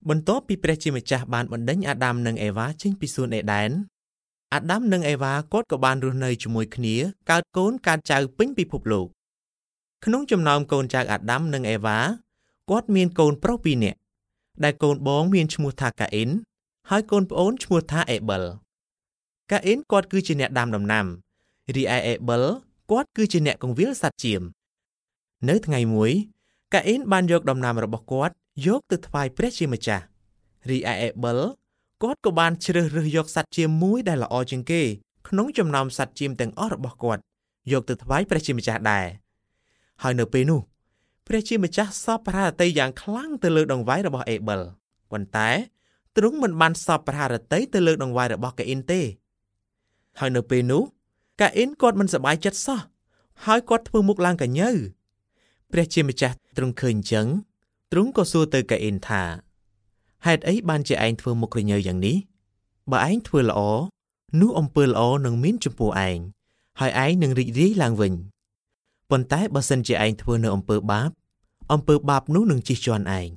បន្ទាប់ពីព្រះជាម្ចាស់បានបណ្ដេញអាដាមនិងអេវ៉ាចេញពីសួនអេដែនអាដាមនិងអេវ៉ាគាត់ក៏បានរស់នៅជាមួយគ្នាកើតកូនកើតចៅពេញពិភពលោកក្នុងចំណោមកូនចៅអាដាមនិងអេវ៉ាគាត់មានកូនប្រុស2នាក់ដែលកូនបងមានឈ្មោះថាកាអ៊ីនហើយកូនប្អូនឈ្មោះថាអេបិលកាអ៊ីនគាត់គឺជាអ្នកដាំដំណាំរីឯអេបិលគាត់គឺជាអ្នកកង្វៀលសត្វចៀមនៅថ្ងៃមួយកាអ៊ីនបានយកដំណាំរបស់គាត់យកទៅថ្វាយព្រះជាម្ចាស់រីឯអេបិលគាត់ក៏បានជ្រើសរើសយកសត្វចៀមមួយដែលល្អជាងគេក្នុងចំណោមសត្វចៀមទាំងអស់របស់គាត់យកទៅថ្វាយព្រះជាម្ចាស់ដែរហើយនៅពេលនោះព្រះជាម្ចាស់សពព្រះハរតីយ៉ាងខ្លាំងទៅលើដង្វាយរបស់អេបិលប៉ុន្តែទ្រង់មិនបានសពព្រះハរតីទៅលើដង្វាយរបស់កាអ៊ីនទេហើយនៅពេលនោះកាអ៊ីនគាត់មិនសប្បាយចិត្តសោះហើយគាត់ធ្វើមុខឡើងកញើព្រះជាម្ចាស់ទ្រង់ឃើញអញ្ចឹងទ្រង់ក៏សួរទៅកាអ៊ីនថាហេតុអីបានជាឯងធ្វើមុខក្រញើយ៉ាងនេះបើឯងធ្វើល្អនោះអំពើល្អនឹងមានចំពោះឯងហើយឯងនឹងរីករាយឡើងវិញប៉ុន្តែបើសិនជាឯងធ្វើនៅអំពើបាបអំពើបាបនោះនឹងជិះជាន់ឯង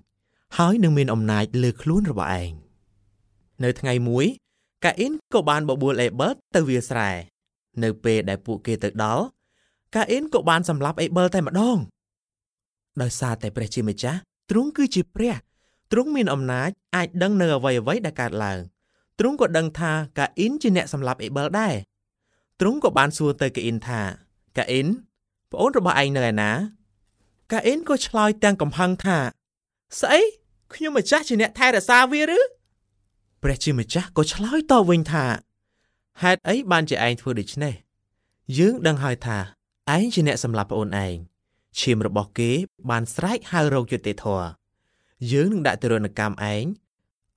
ហើយនឹងមានអំណាចលើខ្លួនរបស់ឯងនៅថ្ងៃមួយកាអ៊ីនក៏បានបបួលអេបិលទៅវាលស្រែនៅពេលដែលពួកគេទៅដល់កាអ៊ីនក៏បានសម្លាប់អេបិលតែម្ដងដោយសារតែព្រះជាម្ចាស់ទ្រង់គឺជាព្រះទ្រង់មានអំណាចអាចដឹងនៅអ្វីៗដែលកើតឡើងទ្រង់ក៏ដឹងថាកាអ៊ីនជាអ្នកសម្លាប់អេបិលដែរទ្រង់ក៏បានសួរទៅកាអ៊ីនថាកាអ៊ីនប្អូនរបស់ឯងនៅឯណាកាអ៊ីនក៏ឆ្លើយទាំងកំហឹងថាស្អីខ្ញុំម្ចាស់ជាអ្នកថែរក្សាវាឬព្រះជាម្ចាស់ក៏ឆ្លើយតបវិញថាហេតុអីបានជាឯងធ្វើដូច្នេះយើងដឹងហើយថាឯងជាអ្នកសម្លាប់ប្អូនឯងឈាមរបស់គេបានស្រែកហៅរកយុត្តិធម៌យើងនឹងដាក់ទរណកម្មឯង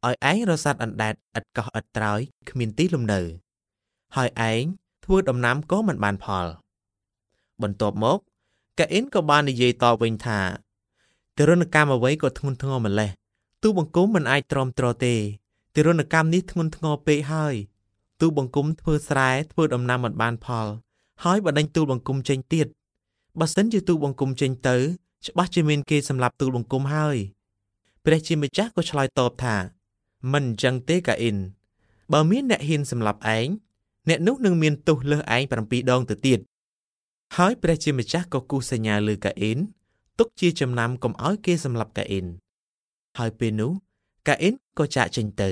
ឲ្យឯងរសាត់អណ្ដែតឥតកោះឥតត្រើយគ្មានទីលំនៅហើយឯងធ្វើដំណាំក៏មិនបានផលបន្ទាប់មកកាអ៊ីនក៏បាននិយាយតបវិញថាទរណកម្មអ្វីក៏ធ្ងន់ធ្ងរម្ល៉េះទូបង្គំមិនអាចទ្រាំទ្រទេទរណកម្មនេះធ្ងន់ធ្ងរពេកហើយទូបង្គំធ្វើស្រែធ្វើដំណាំមិនបានផលហើយបណ្ដេញទូលបង្គំចេញទៀតបើសិនជាទូលបង្គំចេញទៅច្បាស់ជាមានគេសម្លាប់ទូលបង្គំហើយព្រះជាម្ចាស់ក៏ឆ្លើយតបថាមិនអញ្ចឹងទេកាអ៊ីនបើមានអ្នកហ៊ានសម្លាប់ឯងអ្នកនោះនឹងមានទោសលើសឯង7ដងទៅទៀតហើយព្រះជាម្ចាស់ក៏គូសសញ្ញាលើកាអ៊ីនទុកជាចំណាំកុំឲ្យគេសម្លាប់កាអ៊ីនហើយពេលនោះកាអ៊ីនក៏ចាកចេញទៅ